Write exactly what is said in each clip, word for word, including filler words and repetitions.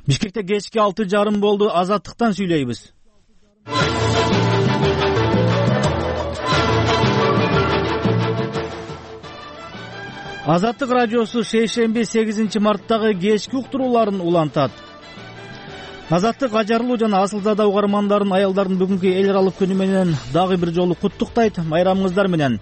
Бишкекте кечки алты жарым болду. Азаттыктан сүйлөйбүз. Азаттык радиосу шейшемби сегизинчи марттагы кечки уктурууларын улантат. Азаттык ажарылуу жана асылзада угармандарын аялдардын бүгүнкү эл аралык күнү менен дагы бир жолу куттуктайт. Майрамыңыздар менен.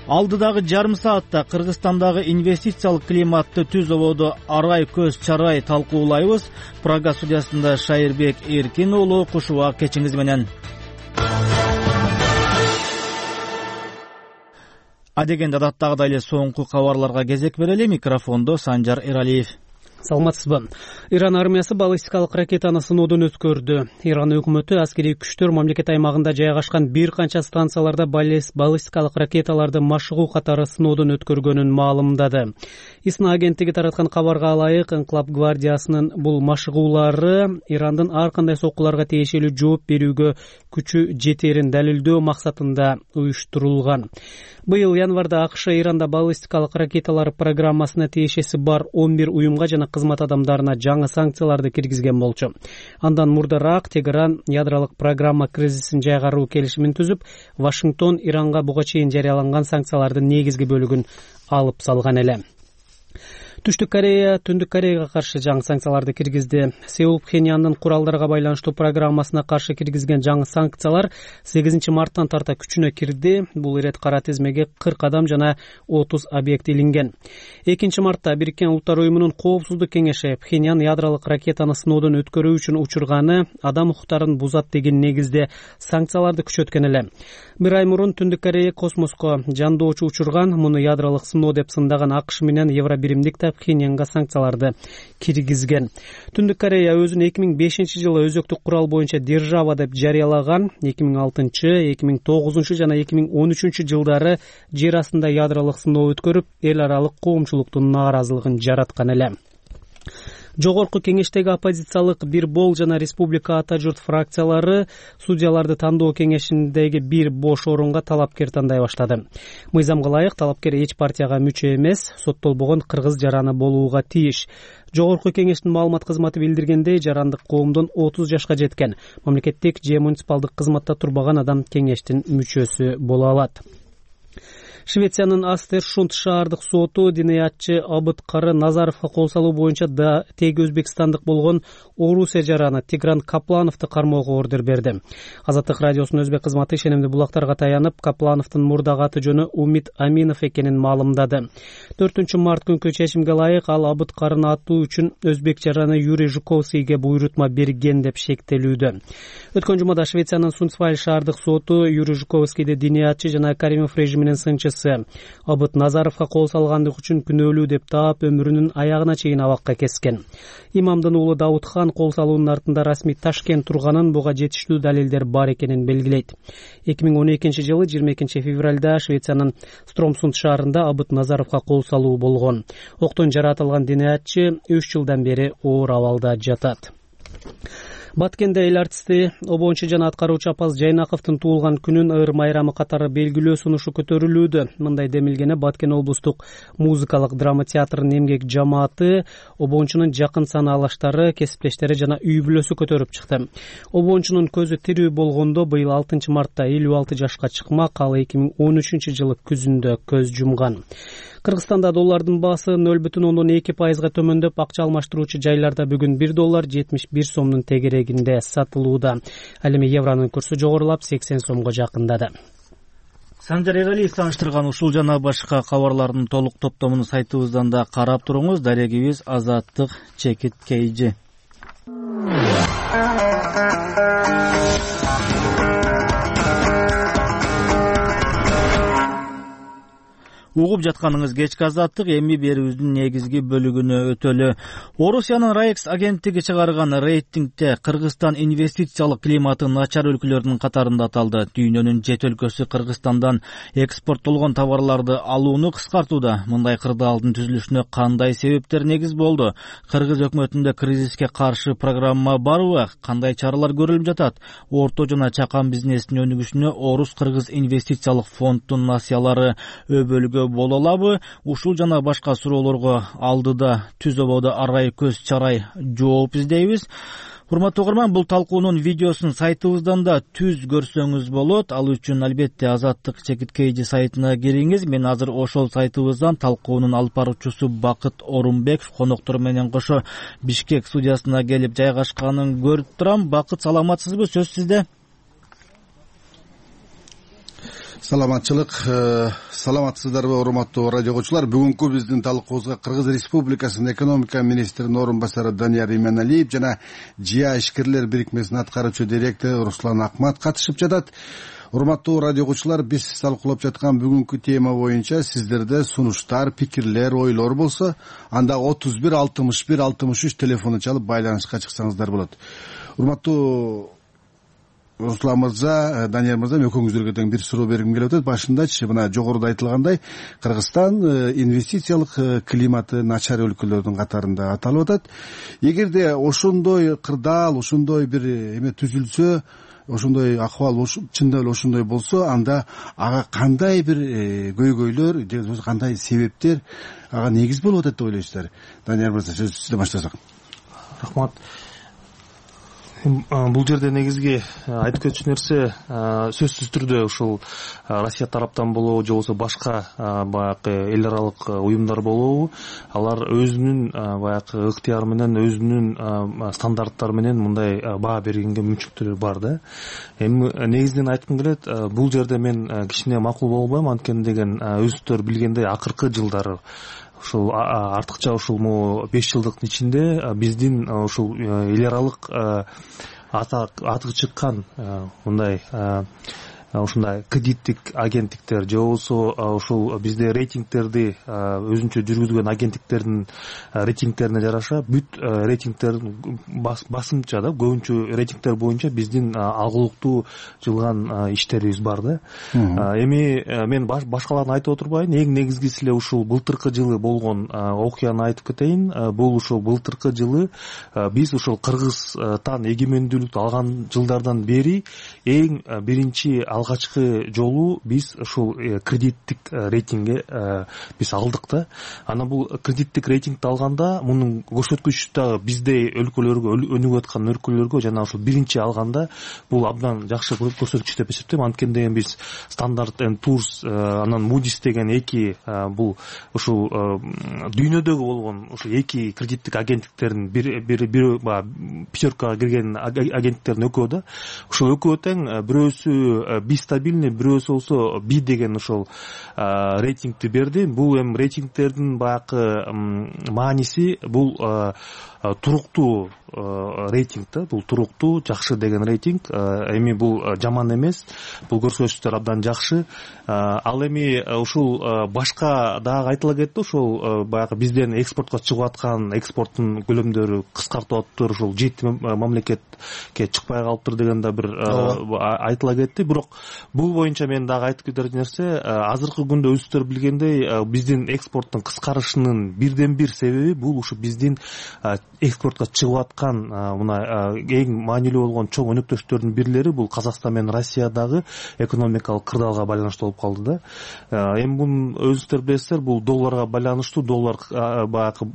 Алдыдагы жарым саатта Кыргызстандагы инвестициялык климатты түз ободо арай көз чарай талкуулайбыз. Прага студиясында Шайырбек Эркин уулу кушубак кечиңиз менен. Адегенде адаттагыдай эле соңку кабарларга кезек берели. Микрофондо Санжар Эралиев. Саламатсызбы. Иран армиясы баллистикалык ракетаны сыноодон өткөрдү. Иран өкмөтү аскерий күчтөр мамлекет аймагында жайгашкан бир канча станцияларда баллистикалык ракеталарды машыгуу катары сыноодон өткөргөнүн маалымдады. ИСНА агенттиги тараткан кабарга ылайык, Инкылап гвардиясынын бул машыгуулары Ирандын ар кандай соккуларга тиешелүү жооп берүүгө күчү жетерин далилдөө максатында уюштурулган. Быйыл январда АКШ Иранда баллистикалык ракеталар программасына тиешеси бар он бир уюмга жана кызмат адамдарына жаңы санкцияларды киргизген болчу. Андан мурдараак Тегеран ядролук программа кризисин жайгаруу келишимин түзүп, Вашингтон Иранга буга чейин жарыяланган санкциялардын негизги бөлүгүн алып салган эле. Түштүк Корея Түндүк Кореяга каршы жаңы санкцияларды киргизди. Сеул Пхеньяндын куралдарга байланыштуу программасына каршы киргизген жаңы санкциялар сегизинчи марттан тарта күчүнө кирди. Бул ирет кара тизмеге кырк адам жана отуз объект илинген. экинчи мартта Бириккен Улуттар уюмунун коопсуздук кеңеши Пхеньян ядролук ракетаны сыноодон өткөрүү үчүн учурганы адам укуктарын бузат деген негизде санкцияларды күчөткөн эле. Бир ай мурун Түндүк Корея космоско жандоочу учурган, муну ядролук сыноо деп сындаган АКШ менен Евробиримдик Пхеньянга санкцияларды киргизген. Түндүк Корея өзүн эки миң бешинчи жылы өзөктүк курал боюнча держава деп жарыялаган. эки миң алтынчы, эки миң тогузунчу жана эки миң он үчүнчү жылдары жер астында ядролук сыноо өткөрүп, эл аралык коомчулуктун нааразылыгын жараткан эле. Жогорку кеңештеги оппозициялык Бир Бол жана Республика Ата журт фракциялары судьяларды тандоо кеңешиндеги бир бош орунга талапкер тандай баштады. Мыйзамга ылайык талапкер эч партияга мүчө эмес, соттолбогон кыргыз жараны болууга тийиш. Жогорку кеңештин маалымат кызматы билдиргендей, жарандык коомдон отуз жашка жеткен, мамлекеттик же муниципалдык кызматта турбаган адам кеңештин мүчөсү боло алат. Швециянын Астершунд шаардык соту диниятчы Абыткары Назаровго кол салуу боюнча да теги өзбекстандык болгон Орусия жараны Тигран Каплановду кармоого ордер берди. Азаттык радиосунун өзбек кызматы ишенимдүү булактарга таянып, Каплановдун мурдагы аты жөнү Умит Аминов экенин маалымдады. төртүнчү март күнкү чечимге ылайык ал Абыткарыны атуу үчүн өзбек жараны Юрий Жуковскийге буйрутма берген деп шектелүүдө. Өткөн жумада Швециянын Сунцваль шаардык соту Юрий Жуковскийди диниятчы жана Каримов режиминин сынчысы Абыт Назаровго кол салгандык үчүн күнөөлүү деп таап, өмүрүнүн аягына чейин абакка кескен. Имамдын уулу Даудхан кол салуунун артында расмий Ташкент турганын, буга жетиштүү далилдер бар экенин белгилейт. эки миң он экинчи жылы жыйырма экинчи февралда Швециянын Стромсунд шаарында Абыт Назаровго кол салуу болгон. Октон жаратылган диниятчы үч жылдан бери оор абалда жатат. Баткенде эл артисти обончу жана аткаруучу Апаз Жайнаковдун туулган күнүн ыр майрамы катары белгилөө сунушу көтөрүлүүдө. Мындай демилгени Баткен облустук музыкалык драма театрынын эмгек жамааты, обончунун жакын санаалаштары, кесиптештери жана үй бүлөсү көтөрүп чыкты. Обончунун көзү тирүү болгондо быйыл алтынчы мартта элүү алты жашка чыкмак, ал эки миң он үчүнчү жылы күзүндө көз жумган. Кыргызстанда доллардын баасы нөл бүтүн ондон эки пайызга төмөндөп, акча алмаштыруучу жайларда бүгүн бир доллар жетимиш бир сомдун тегерегинде сатылууда. Ал эми евронун курсу жогорулап сексен сомго жакындады. Санжар Эралиев тааныштырган ушул жана башка кабарлардын толук топтомун сайтыбыздан да карап туруңуз. Дарегибиз Азаттык чекит кейжи. Угуп жатканыңыз кечки Азаттык, эми берүүбүздүн негизги бөлүгүнө өтөлү. Орусиянын Райекс агенттиги чыгарган рейтингде Кыргызстан инвестициялык климаты начар өлкөлөрдүн катарында аталды. Дүйнөнүн жет өлкөсү Кыргызстандан экспорттолгон товарларды алууну кыскартууда. Мындай кырдаалдын түзүлүшүнө кандай себептер негиз болду? Кыргыз өкмөтүндө кризиске каршы программа барбы? Кандай чаралар көрүлүп жатат? Орто жана чакан бизнестин өнүгүшүнө Орус Кыргыз инвестициялык фонддун насыялары өбөлгө көчкүлөрү боло алабы? Ушул жана башка суроолорго алдыда түз ободо арай көз чарай жооп издейбиз. Урматтуу угарман, бул талкуунун видеосун сайтыбыздан да түз көрсөңүз болот. Ал үчүн албетте Азаттык чекиткейди сайтына кириңиз. Мен азыр ошол сайтыбыздан талкуунун алып баруучусу Бакыт Орунбеков коноктор менен кошо Бишкек студиясына келип жайгашканын көрүп турам. Бакыт, саламатсызбы? Сөз сизде. Саламатчылык, саламатсыздарбы урматтуу радио угуучулар. Бүгүнкү биздин талкуубузга Кыргыз Республикасынын экономика министринин орун басары Данияр Именалиев жана ЖИА ишкерлер бирикмесинин аткаруучу директору Руслан Акмат катышып жатат. Урматтуу радио угуучулар, биз талкуулап жаткан бүгүнкү тема боюнча сиздерде сунуштар, пикирлер, ойлор болсо, анда отуз бир алтымыш бир алтымыш үч телефону чалып байланышка чыксаңыздар болот. Урматтуу Руслан мырза, Данияр мырза, экөөңүздөргө тең бир суроо бергим келип атат. Башындачы мына жогоруда айтылгандай, Кыргызстан инвестициялык климаты начар өлкөлөрдүн катарында аталып атат. Эгерде ошондой кырдаал, ошондой бир эме түзүлсө, ошондой акыбал чындап эле ошондой болсо, анда ага кандай бир көйгөйлөр же кандай себептер ага негиз болуп атат деп ойлойсуздар? Данияр мырза, сөз сизден баштасак. Рахмат. Бул жерде негизги айтып кетчү нерсе сөзсүз түрдө ушул Россия тараптан болобу же болбосо башка баягы эл аралык уюмдар болобу, алар өзүнүн баягы ыктыяры менен, өзүнүн стандарттары менен мындай баа бергенге мүмкүнчүлүктөрү бар да. Эми негизинен айткым келет, бул жерде мен кичине макул болбойм, анткени деген өзүңүздөр билгендей акыркы жылдары ушул артыкча ушул могу беш жылдыктын ичинде биздин ушул эл аралык аты чыккан мындай ушундай кредиттик агенттиктер же болбосо ушул бизде рейтингтерди өзүнчө жүргүзгөн агенттиктердин рейтингтерине жараша бүт рейтингтердин басымча да көбүнчө рейтингтер боюнча биздин алгылыктуу жылган иштерибиз бар да. Эми мен башкаларын айтып отурбайын, эң негизгиси эле ушул былтыркы жылы болгон окуяны айтып кетейин. Бул ушул былтыркы жылы биз ушул Кыргызстан эгемендүүлүктү алган жылдардан бери эң биринчи алгачкы жолу биз ушул кредиттик рейтингге биз алдык да. Анан бул кредиттик рейтингди алганда мунун көрсөткүчү дагы биздей өлкөлөргө, өнүгүп аткан өлкөлөргө жана ушул биринчи алганда бул абдан жакшы көрсөткүч деп эсептейм. Анткени деген биз Standard and Poor's анан Moody's деген эки бул ушул дүйнөдөгү болгон ушул эки кредиттик агенттиктердин бир бир бир пятеркага кирген агенттиктердин экөө да. Ушул экөө тең бирөөсү би стабильный, бирөөсү болсо би деген ошол рейтингти берди. Бул эми рейтингтердин баягы мааниси бул туруктуу рейтинг да, бул туруктуу, жакшы деген рейтинг. Эми бул жаман эмес, бул көрсөтүчтөр абдан жакшы. Ал эми ушул башка дагы айтыла кетти, ушул баягы бизден экспортко чыгып аткан экспорттун көлөмдөрү кыскартып атыптыр, ушул жети мамлекетке чыкпай калыптыр деген да бир айтыла кетти. Бирок бул боюнча мен дагы айтып кетер нерсе, азыркы күндө өзүңүздөр билгендей биздин экспорттун кыскарышынын бирден бир себеби бул ушу биздин экспортко чыгып аткан мына эң маанилүү болгон чоң өнөктөштөрдүн бирлери бул Казакстан менен Россиядагы экономикалык кырдаалга байланыштуу болуп калды да. Эми мунун өзүңүздөр билесиздер, бул долларга байланыштуу, доллар баягы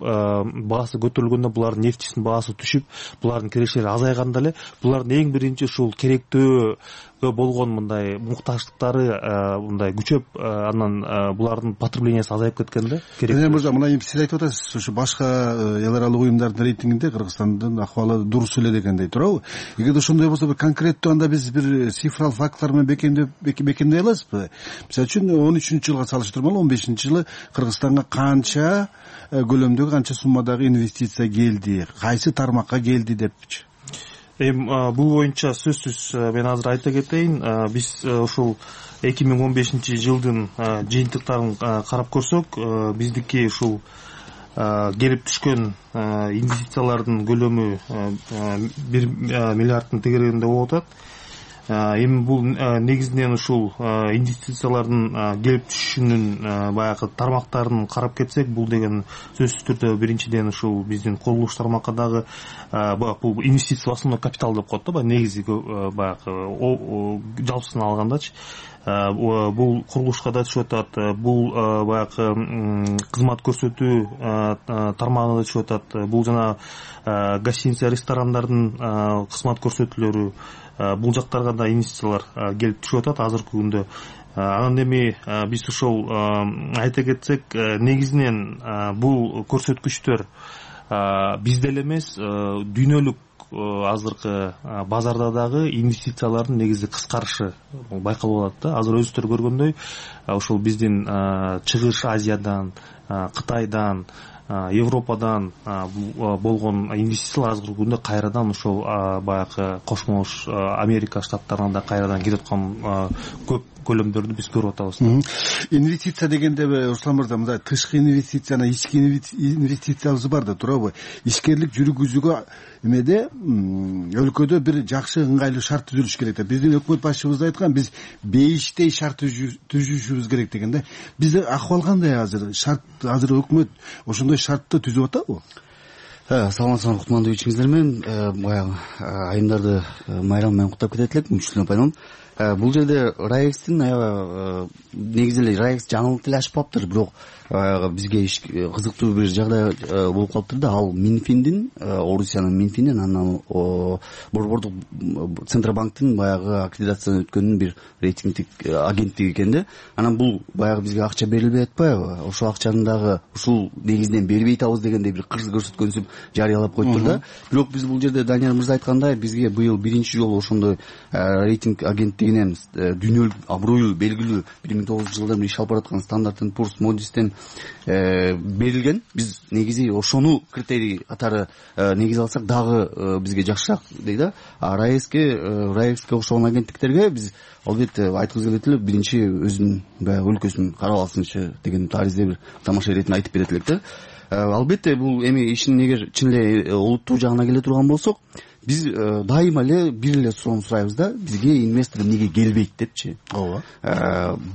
баасы көтөрүлгөндө булардын нефтисинин баасы түшүп, булардын кирешleri азайганда эле булардын эң биринчи ушул керектөө болгон мындай муктаждыктары мындай күчөп, анан булардын потреблениясы азайып кеткен да. Керек мырза, мына эми сиз айтып атасыз, ушу башка эл аралык уюмдардын рейтингинде Кыргызстандын акыбалы дурус эле дегендей туурабы? Эгерде ошондой болсо, бир конкреттүү анда биз бир цифралык фактлар менен бекемдеп бекемдей аласызбы? Мисалы үчүн он үчүнчү жылга салыштырмалуу он бешинчи жылы Кыргызстанга канча көлөмдөгү, канча суммадагы инвестиция келди, кайсы тармакка келди депчи? Эми бул боюнча сөзсүз мен азыр айта кетейин, биз ушул эки миң он бешинчи жылдын жыйынтыктарын карап көрсөк, биздики ушул келип түшкөн инвестициялардын көлөмү бир миллиарддын тегерегинде болуп атат. эми бул негизинен ушул инвестициялардын келип түшүшүнүн баягы тармактарын карап кетсек, бул деген сөзсүз түрдө биринчиден ушул биздин курулуш тармакка дагы бул инвестиция основной капитал деп коет да, баягы негизи баягы жалпысын алгандачы бул курулушка да түшүп атат, бул баягы кызмат көрсөтүү тармагына да түшүп атат, бул жана гостиница ресторандардын кызмат көрсөтүүлөрү, бул жактарга да инвестициялар келип түшүп атат азыркы күндө. Анан эми биз ошол айта кетсек, негизинен бул көрсөткүчтөр бизде эле эмес, дүйнөлүк азыркы базарда дагы инвестициялардын негизи кыскарышы байкалып атат да. Азыр өзүңүздөр көргөндөй, ошол биздин Чыгыш Азиядан, Кытайдан, Европадан болгон инвестициялар азыркы күндө кайрадан ошол баягы Кошмо Америка штаттарына да кайрадан кетип аткан көп көлөмдөрдү биз көрүп атабыз. Инвестиция дегенде Руслан мырза, мындай тышкы инвестиция жана ички инвестициябыз бар да туурабы? Ишкерлик жүргүзүүгө эмеде өлкөдө бир жакшы ыңгайлуу шарт түзүлүш керек да. Биздин өкмөт башчыбыз айткан, биз бейиштей шарт түзүшүбүз керек дегенде. Бизде акыбал кандай азыр? Шарт азыр өкмөт ошондой шартты түзүп атабы? Саламатсыздарбы кутмандуу ичиңиздер менен. Баягы айымдарды майрам менен куттап кетет элек, мүчүлүнө пайдаланып. Бул жерде Раекстин аябай негизи эле Раекс жаңылык деле ачпаптыр, бирок бизге кызыктуу бир жагдай болуп калыптыр да. Ал Минфиндин, Орусиянын Минфиндин, анан Борбордук Центробанктын баягы аккредитациядан өткөнүн бир рейтингдик агенттиги экен да. Анан бул баягы бизге акча берилбей атпайбы? Ошол акчаны дагы ушул негизинен бербей атабыз дегендей бир кырс көрсөткөнсүп жарыялап коюптур да. Бирок биз бул жерде Данияр мырза айткандай, бизге быйыл биринчи жолу ошондой рейтинг агенттигинен дүйнөлүк абройлуу белгилүү бир миң тогуз жүз жылдан бери иш алып бараткан Standard энд Poor's Moody'стен берилген. Биз негизи ошону критерий катары негиз алсак дагы бизге жакшыраак дейт да. А Раекске Раекске окшогон агенттиктерге биз албетте айткыбыз келет эле, биринчи өзүнүн баягы өлкөсүн карап алсынчы деген таризде бир тамаша иретин айтып берет элек да. Албетте бул эми ишин эгер чын эле улуттуу жагына келе турган болсок, биз дайыма эле бир эле суроону сурайбыз да, бизге инвестор эмнеге келбейт депчи. Ооба.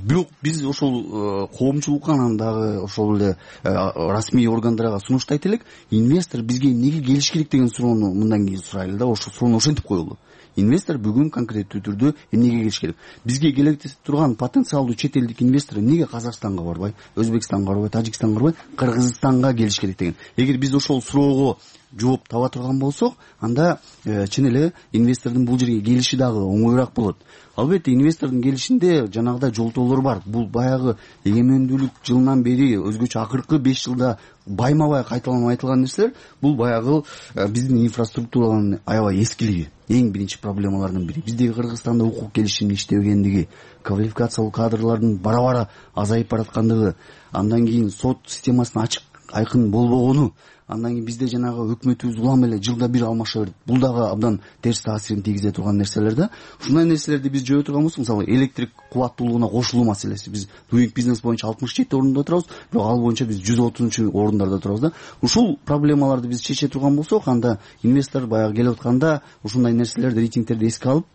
Бирок биз ошол коомчулукка, анан дагы ошол эле расмий органдарга сунуштайт элек, инвестор бизге эмнеге келиш керек деген суроону мындан кийин сурайлы да. Ошол суроону ошентип коелу. Инвестор бүгүн конкреттүү түрдө эмнеге келиш керек? Бизге келе турган потенциалдуу чет элдик инвестор эмнеге Казакстанга барбай, Өзбекстанга барбай, Тажикстанга барбай, Кыргызстанга келиш керек деген. Эгер биз ошол суроого жооп таба турган болсок, анда чын эле инвестордун бул жерге келиши дагы оңоюраак болот. Албетте инвестордун келишинде жанагыдай жолтоолор бар. Бул баягы эгемендүүлүк жылынан бери өзгөчө акыркы беш жылда байма-бай кайталанып айтылган нерселер. Бул баягы биздин инфраструктуранын аябай эскилиги. Эң биринчи проблемалардын бири. Биздеги Кыргызстанда укук келишимин иштебегендиги, квалификациялуу кадрлардын бара-бара азайып бараткандыгы, андан кийин сот системасынын ачык айкын болбогону, андан кийин бизде жанагы өкмөтүбүз улам эле жылда бир алмаша берет. Бул дагы абдан терс таасирин тийгизе турган нерселер да. Ушундай нерселерди биз жөө турган болсок, мисалы электрик кубаттуулугуна кошулуу маселеси. Биз Doing Business боюнча алтымыш жети орунда турабыз, бирок ал боюнча биз жүз отузунчу орундарда турабыз да. Ушул проблемаларды биз чече турган болсок, анда инвестор баягы келип атканда ушундай нерселерди, рейтингтерди эске алып,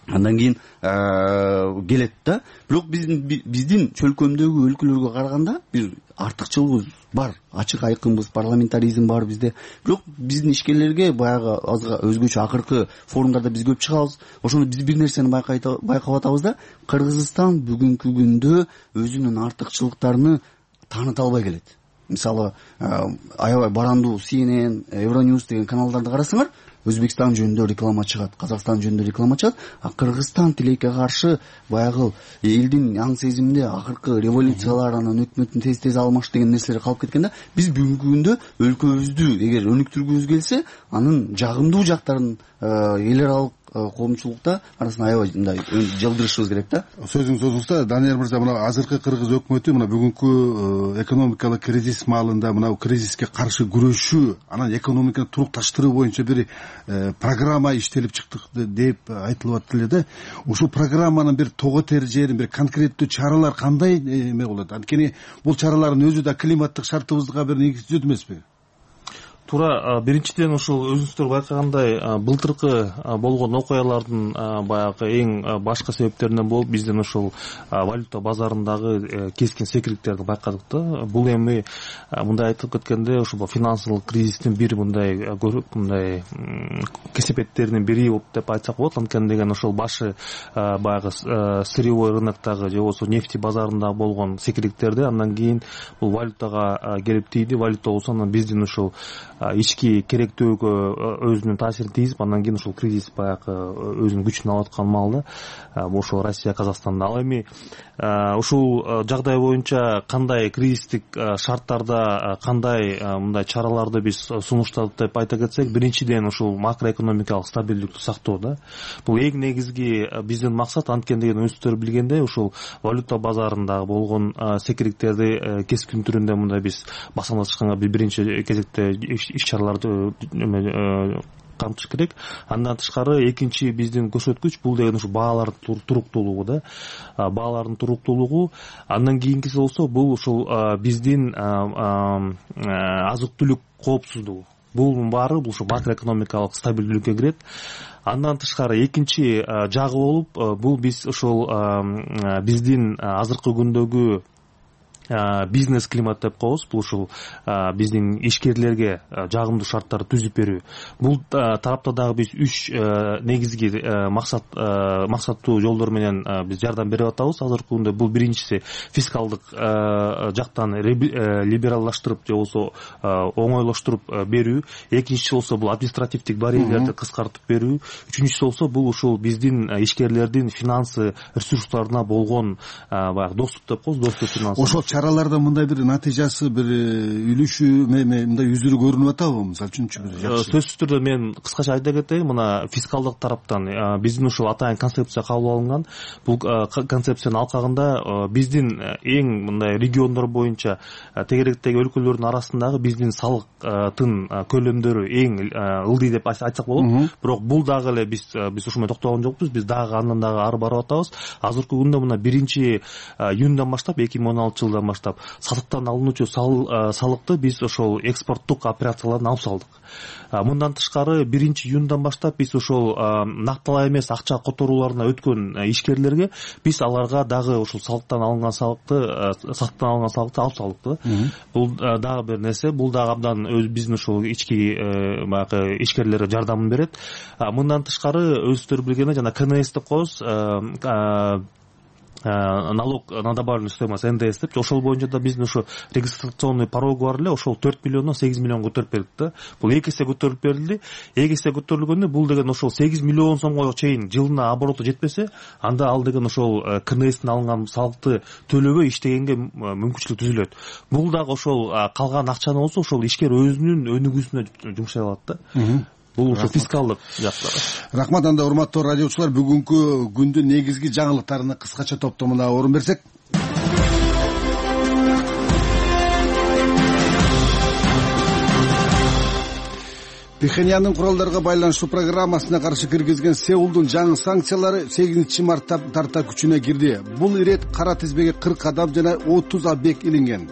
андан кийин келет да. Бирок биздин биздин чөлкөмдөгү өлкөлөргө караганда бир артыкчылыгыбыз бар, ачык айкынбыз, парламентаризм бар бизде. Бирок биздин ишкерлерге баягы өзгөчө акыркы форумдарда биз көп чыгабыз. Ошондо биз бир нерсени байкап атабыз да, Кыргызстан бүгүнкү күндө өзүнүн артыкчылыктарын тааныта албай келет. Мисалы, аябай барандуу си эн эн, Euronews деген каналдарды карасаңар, Өзбекстан жөнүндө реклама чыгат, Казакстан жөнүндө реклама чыгат, а Кыргызстан тилекке каршы баягы элдин аң сезиминде акыркы революциялар, анан өкмөттүн тез-тез алмаш деген нерселер калып кеткенде, биз бүгүнкү күндө өлкөбүздү эгер өнүктүргүбүз келсе, анын жагымдуу жактарын эл аралык коомчулукта арасында аябай мындай жылдырышыбыз керек да. Сөзүңүз озулса, Данияр мырза, мына азыркы кыргыз өкмөтү мына бүгүнкү экономикалык кризис маалында мына кризиске каршы күрөшүү, анан экономиканы турукташтыруу боюнча бир программа иштелип чыктык деп айтылып атты эле да. Ушул программанын бир тоготер жерин, бир конкреттүү чаралар кандай эме болот? Анткени бул чаралардын өзү да климаттык шартыбызга бир негиз түзөт эмеспи? туура. Биринчиден ушул өзүңүздөр байкагандай былтыркы болгон окуялардын баягы эң башкы себептеринен болуп биздин ушул валюта базарындагы кескин секирикттерди байкадык да. Бул эми мындай айтып кеткенде ушул финансылык кризистин бир мындай мындай кесепеттеринин бири болуп деп айтсак болот. Анткени деген ошол башы баягы сырьевой рыноктогу же болбосо нефти базарында болгон секирикттерди андан кийин бул валютага келип тийди. Валюта болсо анан биздин ушул ички керектөөгө өзүнүн таасирин тийгизип андан кийин ушул кризис баягы өзүнүн күчүн алып аткан маалда ошол Россия Казакстанда. Ал эми ушул жагдай боюнча кандай кризистик шарттарда кандай мындай чараларды биз сунуштадык деп айта кетсек, биринчиден ушул макроэкономикалык стабилдүүлүктү сактоо да. Бул эң негизги биздин максат. Анткени деген өзүңүздөр билгендей ушул валюта базарында болгон секириктерди кескин түрүндө мындай биз басамдашканга биринчи кезекте иш чараларды камтыш керек. Андан тышкары экинчи биздин көрсөткүч бул деген ушу баалардын туруктуулугу да. Баалардын туруктуулугу. Андан кийинкиси болсо бул ушул биздин азык-түлүк коопсуздугу. Бул баары бул ушу макроэкономикалык стабилдүүлүккө кирет. Андан тышкары экинчи жагы болуп бул биз ушул биздин азыркы күндөгү бизнес климат деп коебуз. Бул ушул биздин ишкерлерге жагымдуу шарттарды түзүп берүү. Бул тарапта дагы биз үч негизги максат максаттуу жолдор менен биз жардам берип атабыз азыркы күндө. Бул биринчиси фискалдык жактан либералдаштырып же болбосо оңойлоштуруп берүү. Экинчиси болсо бул административдик барьерлерди кыскартып берүү. Үчүнчүсү болсо бул ушул биздин ишкерлердин финансы ресурстарына болгон баягы доступ деп коебуз, доступ финансы. Чараларда мындай бир натыйжасы, бир үлүшү мындай жүзүрү көрүнүп атабы? Мисалы үчүнчү бир жакшы. Сөзсүз түрдө мен кыскача айта кетейин. Мына фискалдык тараптан биздин ушул атайын концепция кабыл алынган. Бул концепциянын алкагында биздин эң мындай региондор боюнча тегеректеги өлкөлөрдүн арасындагы биздин салыктын көлөмдөрү эң ылдый деп айтсак болот. Бирок бул дагы эле биз биз ушуга токтогон жокпуз. Биз дагы андан дагы ары барып атабыз. Азыркы күндө мына биринчи июндан баштап эки миң он алтынчы жылдан баштап сатыктан алынуучу салыкты биз ошол экспорттук операциялардан алып салдык. Мындан тышкары биринчи июндан баштап биз ошол накталай эмес акча которууларына өткөн ишкерлерге биз аларга дагы ошол салыктан алынган салыкты сатыктан алынган салыкты алып салдык. Бул дагы бир нерсе. Бул дагы абдан өз биздин ошол ички баягы ишкерлерге жардамын берет. Мындан тышкары өзүңүздөр билгендей жана ка эн эс деп коебуз, налог на добавленную стоимость эн дэ эс деп, ошол боюнча да биздин ошо регистрационный порогу бар эле, ошол төрт миллиондон сегиз миллион көтөрүп бердик да. Бул эки эсе көтөрүп берилди. эки эсе көтөрүлгөндө бул деген ошол сегиз миллион сомго чейин жылына обороту жетпесе, анда ал деген ошол ка эн эстен алынган салыкты төлөбөй иштегенге мүмкүнчүлүк түзүлөт. Бул дагы ошол калган акчаны болсо ошол ишкер өзүнүн өнүгүүсүнө жумшай алат да. Бул ушу фискалдык жактары. Рахмат. Анда урматтуу радиочулар, бүгүнкү күндүн негизги жаңылыктарына кыскача топтомуна орун берсек. Пхеньяндын куралдарга байланыштуу программасына каршы киргизген Сеулдун жаңы санкциялары сегизинчи мартта тарта күчүнө кирди. Бул ирет кара тизбеге кырк адам жана отуз объект илинген.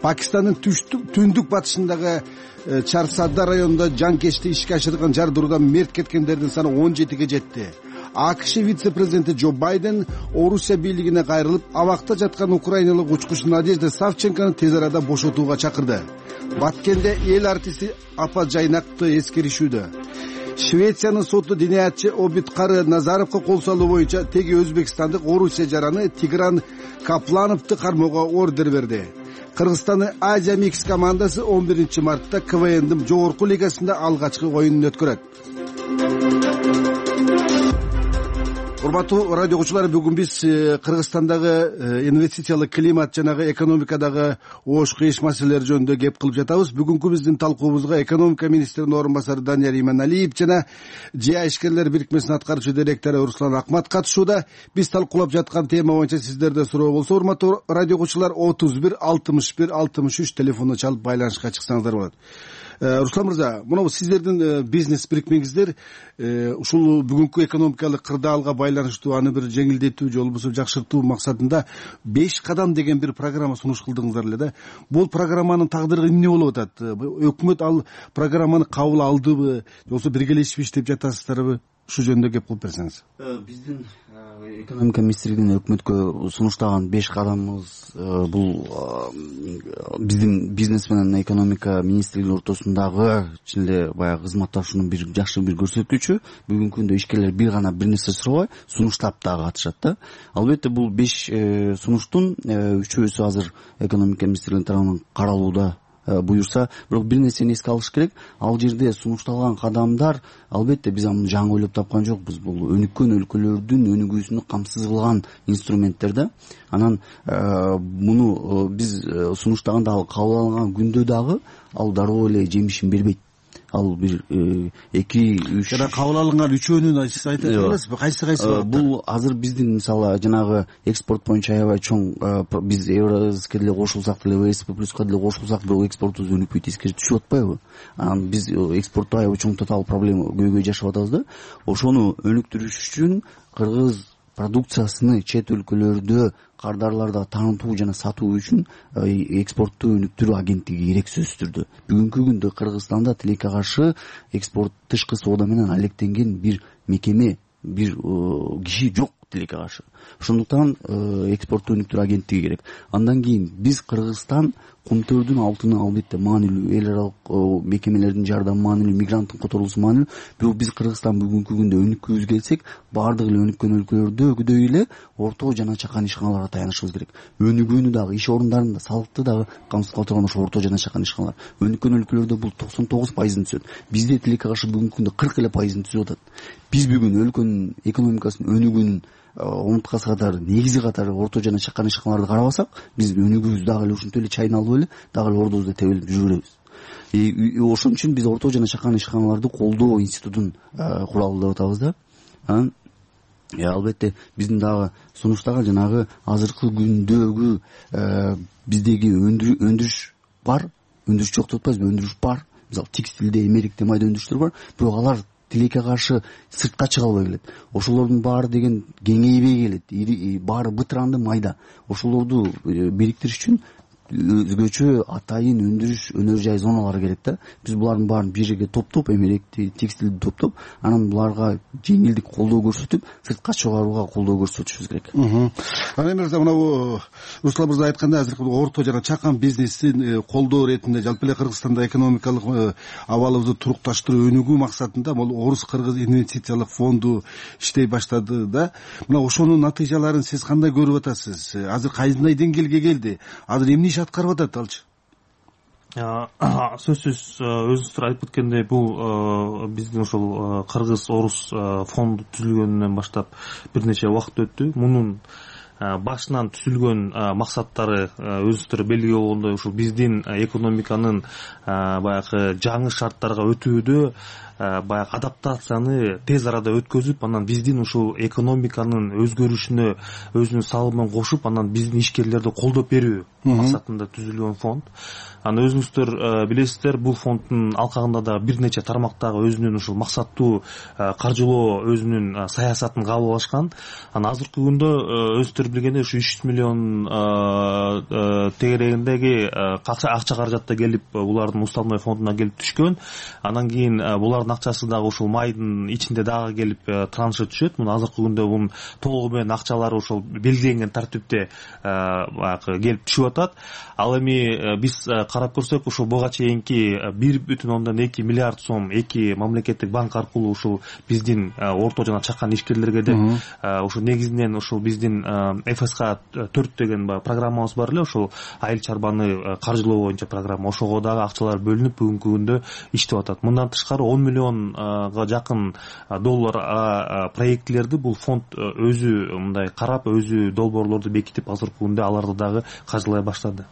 Пакистандын түндүк батышындагы Чарсадда районунда жанкечти ишке ашырган жардыруудан мерт кеткендердин саны он жетиге жетти. А К Ш вице-президенти Джо Байден Орусия бийлигине кайрылып, абакта жаткан украиналык учкуч Надежда Савченкону тез арада бошотууга чакырды. Баткенде эл артисти Апа Жайнакты эскеришүүдө. Швециянын соту диниятчы Обидкары Назаровго кол салуу боюнча теги өзбекстандык Орусия жараны Тигран Каплановду кармоого ордер берди. Кыргызстандын Азия Микс командасы он биринчи мартта К В Ндин жогорку лигасында алгачкы оюнун өткөрөт. Урматтуу радио окуучулар, бүгүн биз Кыргызстандагы инвестициялык климат жана экономикадагы оош кыйыш маселелер жөнүндө кеп кылып жатабыз. Бүгүнкү биздин талкуубузга экономика министринин орун басары Данияр Иманалиев жана ЖИА ишкерлер бирикмесинин аткаруучу директору Руслан Акмат катышууда. Биз талкуулап жаткан тема боюнча сиздерде суроо болсо, урматтуу радио окуучулар, отуз бир алтымыш бир алтымыш үч телефонуна чалып байланышка чыксаңыздар болот. Руслан мырза, мына сиздердин бизнес бирикмеңиздер ушул бүгүнкү экономикалык кырдаалга байланыштуу аны бир жеңилдетүү же болбосо жакшыртуу максатында беш кадам деген бир программа сунуш кылдыңыздар эле да. Бул программанын тагдыры эмне болуп атат? Өкмөт ал программаны кабыл алдыбы же болбосо биргелешип иштеп жатасыздарбы? Ушу жөнүндө кеп кылып берсеңиз. Биздин экономика министрлигинин өкмөткө сунуштаган беш кадамыбыз бул биздин бизнес менен экономика министрлигинин ортосундагы чын эле баягы кызматташуунун бир жакшы бир көрсөткүчү. Бүгүнкү күндө ишкерлер бир гана бир нерсе сурабай, сунуштап дагы катышат да. Албетте бул беш сунуштун үчөөсү азыр экономика министрлигинин тарабынан каралууда буюрса, бирок бир нерсени эске алыш керек. Ал жерде сунушталган кадамдар албетте биз аны жаңы ойлоп тапкан жокпуз. Бул өнүккөн өлкөлөрдүн өнүгүүсүнө камсыз кылган инструменттер да. Анан муну биз сунуштаганда ал кабыл алынган күндө дагы ал дароо эле жемишин бербейт. Ал бир эки үч жана кабыл алынган үчөөнүн сиз айтып жатасызбы? Кайсы кайсы? Бул азыр биздин мисалы жанагы экспорт боюнча аябай чоң биз Евразиске деле кошулсак деле, вэ эс пэ плюска деле кошулсак, бирок экспортубуз өнүкпөй тескери түшүп атпайбы? Анан биз экспортто аябай чоң тотал проблема көйгөй жашап атабыз да. Ошону өнүктүрүш үчүн кыргыз продукциясыны чет өлкөлөрдө кардарларда таанытуу жана сатуу үчүн экспортту өнүктүрүү агенттиги керек сөзсүз түрдө. Бүгүнкү күндө Кыргызстанда тилекке каршы экспорт тышкы соода менен алектенген бир мекеме, бир киши жок тилекке каршы. Ошондуктан экспортту өнүктүрүү агенттиги керек. Андан кийин биз Кыргызстан кумтөрдүн алтыны албетте маанилүү, эл аралык мекемелердин жардамы маанилүү, мигранттын которулуусу маанилүү. Бирок биз Кыргызстан бүгүнкү күндө өнүккүбүз келсек, баардык эле өнүккөн өлкөлөрдөгүдөй эле орто жана чакан ишканаларга таянышыбыз керек. Өнүгүүнү дагы, иш орундарында салыкты дагы камсыз кыла турган ошо орто жана чакан ишканалар. Өнүккөн өлкөлөрдө бул токсон тогуз пайызын түзөт. Бизде тилекке каршы бүгүнкү күндө кырк эле пайызын түзүп атат. Биз бүгүн өлкөнүн экономикасынын өнүгүүнүн омурткасы катары, негизи катары орто жана чакан ишканаларды карабасак, биз өнүгүүбүз дагы эле ушинтип эле чайналып эле дагы эле ордубузда тебелип жүрө беребиз. Ошон үчүн биз орто жана чакан ишканаларды колдоо институтун куралы деп атабыз да. Анан албетте биздин дагы сунуштаган жанагы азыркы күндөгү биздеги өндүрүш бар, өндүрүш жок деп атпайбызбы, өндүрүш бар. Мисалы текстилде, эмерикте майда өндүрүштөр бар, бирок алар тилекке каршы сыртка чыга албай келет. Ошолордун баары деген кеңейбей келет. Баары бытыранды майда. Ошолорду бириктириш үчүн өзгөчө атайын өндүрүш өнөр жай зоналары керек да. Биз булардын баарын бир жерге топтоп, эмеректи, текстилди топтоп, анан буларга жеңилдик колдоо көрсөтүп, сыртка чыгарууга колдоо көрсөтүшүбүз керек. Анан мырза, мына Руслан мырза айткандай, азыркы орто жана чакан бизнесин колдоо иретинде жалпы эле Кыргызстанда экономикалык абалыбызды турукташтыруу, өнүгүү максатында бул Орус-Кыргыз инвестициялык фонду иштей баштады да. Мына ошонун натыйжаларын сиз кандай көрүп атасыз? Азыр кайсындай деңгээлге келди? Азыр эмне иш аткарып атат алчы? Сөзсүз өзүңүздөр айтып кеткендей, бул биздин ошол Кыргыз-Орус фонду түзүлгөнүнөн баштап бир нече убакыт өттү. Мунун башынан түзүлгөн максаттары өзүңүздөр белгилүү болгондой, ушул биздин экономиканын баягы жаңы шарттарга өтүүдө баягы адаптацияны тез арада өткөзүп, анан биздин ушул экономиканын өзгөрүшүнө өзүнүн салымын кошуп, анан биздин ишкерлерди колдоп берүү максатында түзүлгөн фонд. Анан өзүңүздөр билесиздер, бул фонддун алкагында да бир нече тармактагы өзүнүн ушул максаттуу каржылоо өзүнүн саясатын кабыл алышкан. Анан азыркы күндө өзүңүздөр билгендей ушу үч жүз миллион тегерегиндеги акча каражатта келип, булардын уставной фондуна келип түшкөн. Анан кийин булардын акчасы дагы ушул майдын ичинде дагы келип траншы түшөт. Муну азыркы күндө бунун толугу менен акчалары ошол белгиленген тартипте баягы келип түшүп атат. Ал эми биз карап көрсөк, ушул буга чейинки бир бүтүн ондон эки миллиард сом эки мамлекеттик банк аркылуу ушул биздин орто жана чакан ишкерлерге деп ушул негизинен ушул биздин эф эс ка төрт деген программабыз бар эле, ушул айыл чарбаны каржылоо боюнча программа. Ошого дагы акчалар бөлүнүп бүгүнкү күндө иштеп атат. Мындан тышкары он миллионго жакын доллар проектилерди бул фонд өзү мындай карап, өзү долбоорлорду бекитип, азыркы күндө аларды дагы каржылай баштады.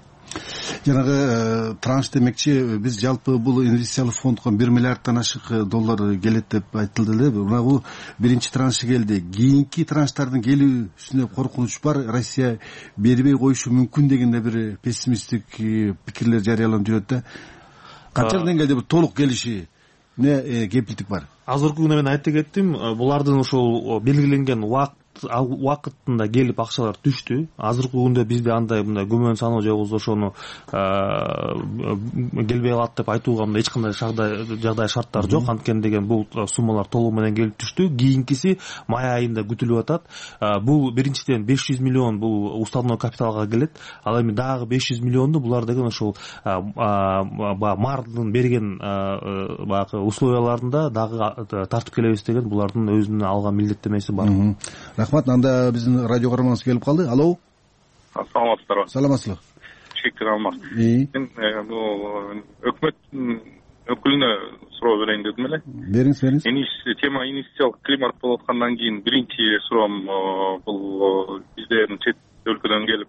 Жанагы транш демекчи, биз жалпы бул инвестициялык фондго бир миллиарддан ашык доллар келет деп айтылды эле. Мына бул биринчи траншы келди. Кийинки транштардын келүүсүнө коркунуч бар. Россия бербей коюшу мүмкүн деген да бир пессимисттик пикирлер жарыяланып жүрөт да. канчалык деңгээлде бир толук келиши эмне кепилдик бар? Азыркы күндө мен айтып кеттим, булардын ошол белгиленген убакыт убакытында келип акчалар түштү. Азыркы күндө бизде андай мындай күмөн саноо же болбосо ошону келбей калат деп айтууга мындай эч кандай жагдай шарттар жок. Анткени деген бул суммалар толугу менен келип түштү. Кийинкиси май айында күтүлүп атат. Бул биринчиден беш жүз миллион бул уставной капиталга келет. Ал эми дагы беш жүз миллионду булар деген ошол баягы мардын берген баягы условияларында дагы тартып келебиз деген булардын өзүнүн алган милдеттенмеси бар. Рахмат. Анда биздин радио көрөрманыбыз келип калды. Алло. Саламатсыздарбы? Саламатсызбы? Чектен алмак. Мен бул өкмөттүн өкүлүнө суроо берейин дедим эле. Бериңиз, бериңиз. Тема инвестициялык климат болуп аткандан кийин биринчи суроом бул бизден чет өлкөдөн келип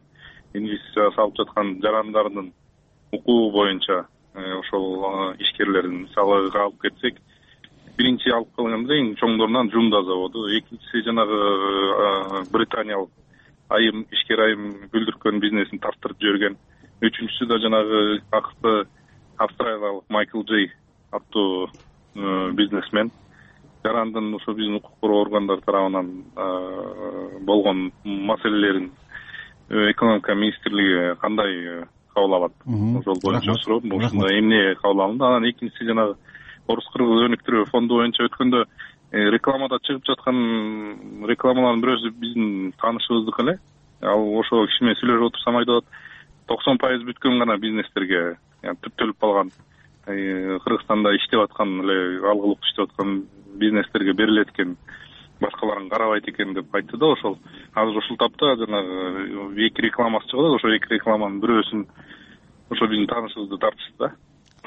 инвестиция салып жаткан жарандардын укугу боюнча ошол ишкерлердин мисалы алып кетсек, биринчи алып калганда эң чоңдорунан Жумда заводу, экинчиси жанагы британиялык айым ишкер айым бүлдүрткөн бизнесин тарттырып жиберген, үчүнчүсү да жанагы акыркы австралиялык Майкл Джей аттуу бизнесмен. Жарандын ошо биздин укук коргоо органдары тарабынан болгон маселелерин экономика министрлиги кандай кабыл алат? Ошол боюнча суроо, ушундай эмне кабыл алынды? Анан экинчиси жанагы орус-кыргыз өнүктүрүү фонду боюнча өткөндө рекламада чыгып жаткан рекламалардын бирөөсү биздин таанышыбыздык эле. Ал ошо киши менен сүйлөшүп отурсам айтып атат, токсон пайыз бүткөн гана бизнестерге, түптөлүп калган Кыргызстанда иштеп аткан эле алгылык иштеп аткан бизнестерге берилет экен, башкаларын карабайт экен деп айтты да. Ошол азыр ушул тапта жанагы эки рекламасы чыгып атат. Ошо эки рекламанын бирөөсүн ошо биздин таанышыбызды тартышты да.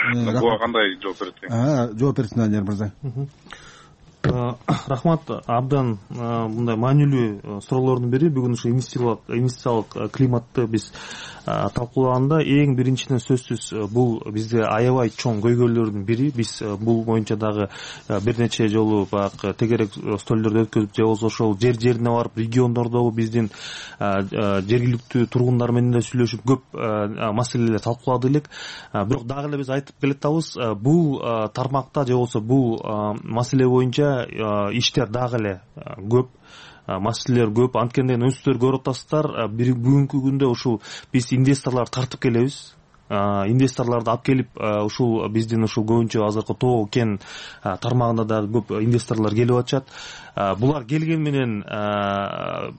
Буга кандай жооп берет? Жооп берсин Данияр мырза. Рахмат. Абдан мындай маанилүү суроолордун бири. Бүгүн ушу инвестициялык климатты биз талкуулаганда эң биринчиден сөзсүз бул бизде аябай чоң көйгөйлөрдүн бири. Биз бул боюнча дагы бир нече жолу баягы тегерек столдорду өткөзүп, же болбосо ошол жер жерине барып региондордогу биздин жергиликтүү тургундар менен да сүйлөшүп көп маселелер талкууладык элек. Бирок дагы эле биз айтып келатабыз, бул тармакта же болбосо бул маселе боюнча иштер дагы эле көп, маселелер көп. Анткени өзүңүздөр көрүп атасыздар, бүгүнкү күндө ушул биз инвесторлорду тартып келебиз. Инвесторлорду алып келип, ушул биздин ушул көбүнчө азыркы тоо кен тармагында да көп инвесторлор келип атышат. Булар келген менен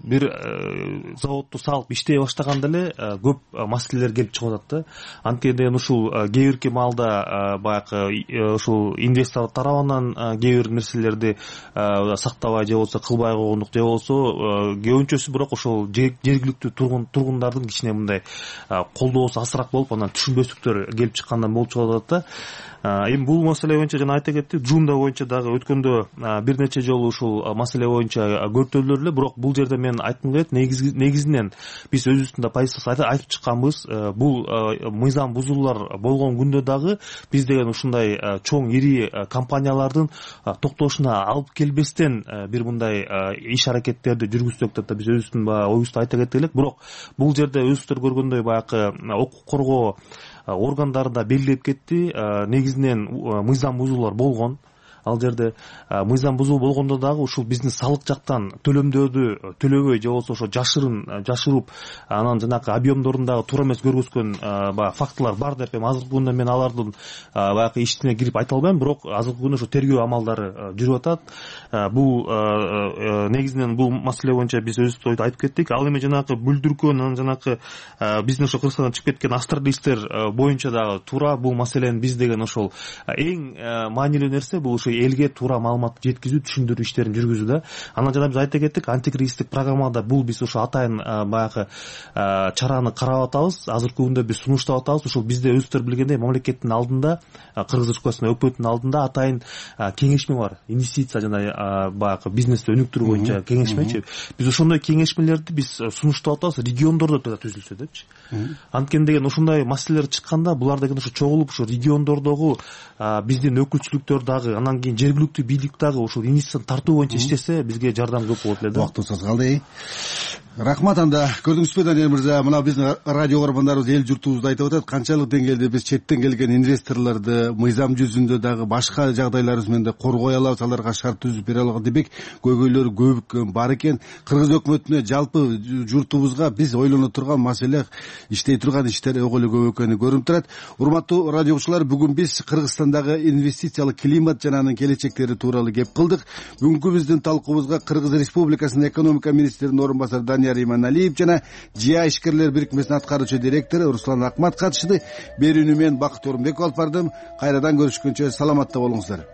бир заводду салып иштей баштаганда эле көп маселелер келип чыгып атат да. Анткени ушул кээ бирки маалда баягы ушул инвестор тарабынан кээ бир нерселерди сактабай же болбосо кылбай койгондук, же болбосо көбүнчөсү бирок ошол жергиликтүү тургундардын кичине мындай колдоосу азыраак болуп, анан түшүнбөстүктөр келип чыккандан болуп чыгып атат да. Эми бул маселе боюнча жана айта кеттик, Жумда боюнча дагы өткөндө бир нече жолу ушул маселе боюнча көртөлдүр эле. Бирок бул жерде мен айткым келет, негизинен биз өзүбүздүн да позициябызды айтып чыкканбыз. Бул мыйзам бузуулар болгон күндө дагы биз деген ушундай чоң ири компаниялардын токтошуна алып келбестен бир мындай иш аракеттерди жүргүзсөк деп да биз өзүбүздүн оюбузду айта кеттик элек. Бирок бул жерде өзүңүздөр көргөндөй баягы укук коргоо органдары да белгилеп кетти. Негизинен мыйзам бузуулар болгон. Ал жерде мыйзам бузуу болгондо дагы ушул биздин салык жактан төлөмдөрдү төлөбөй же болбосо ошо жашырын жашырып, анан жанагы объемдорун дагы туура эмес көргөзгөн баягы фактылар бар деп эми азыркы күндө мен алардын баягы ичине кирип айта албайм. Бирок азыркы күндө ошо тергөө амалдары жүрүп атат. Бул негизинен бул маселе боюнча биз өзүбүз айтып кеттик. Ал эми жанагы бүлдүркөн, анан жанагы биздин ошо Кыргызстандан чыгып кеткен австралийлер боюнча дагы туура бул маселени биз деген ошол эң маанилүү нерсе бул ошо элге туура маалыматты жеткизүү, түшүндүрүү иштерин жүргүзүү да. Анан жана биз айта кеттик, антикризистик программада бул биз ошо атайын баягы чараны карап атабыз. Азыркы күндө биз сунуштап атабыз. Ошол бизде өзүңүздөр билгендей мамлекеттин алдында, Кыргыз Республикасынын өкмөтүнүн алдында атайын кеңешме бар. Инвестиция жана баягы бизнести өнүктүрүү боюнча кеңешмечи. Биз ошондой кеңешмелерди биз сунуштап атабыз, региондордо да түзүлсө депчи. Анткени деген ушундай маселелер чыкканда булар деген ошо чогулуп ошо региондордогу биздин өкүлчүлүктөр дагы, анан кийин жергиликтүү бийлик дагы ушул инвестицияны тартуу боюнча иштесе бизге жардам көп болот эле да. Убактыбыз аз калды. Рахмат. Анда көрдүңүзбү Данияр мырза, мына биздин радио көрөрмандарыбыз эл журтубузда айтып атат, канчалык деңгээлде биз четтен келген инвесторлорду мыйзам жүзүндө дагы башка жагдайларыбыз менен да коргой алабыз, аларга шарт түзүп бере алган демек көйгөйлөр көп бар экен. Кыргыз өкмөтүнө, жалпы журтубузга биз ойлоно турган маселе, иштей турган иштер ого эле көп экени көрүнүп турат. Урматтуу радио окуучулар, бүгүн биз Кыргызстандагы инвестициялык климат жана анын келечектери тууралуу кеп кылдык. Бүгүнкү биздин талкуубузга Кыргыз Республикасынын экономика министринин орун басары Данияр Иманалиев жана ЖИА ишкерлер бирикмесинин аткаруучу директору Руслан Акмат катышты. Берүүнү мен Бакыт Орунбеков алып бардым. Кайрадан көрүшкөнчө саламатта болуңуздар.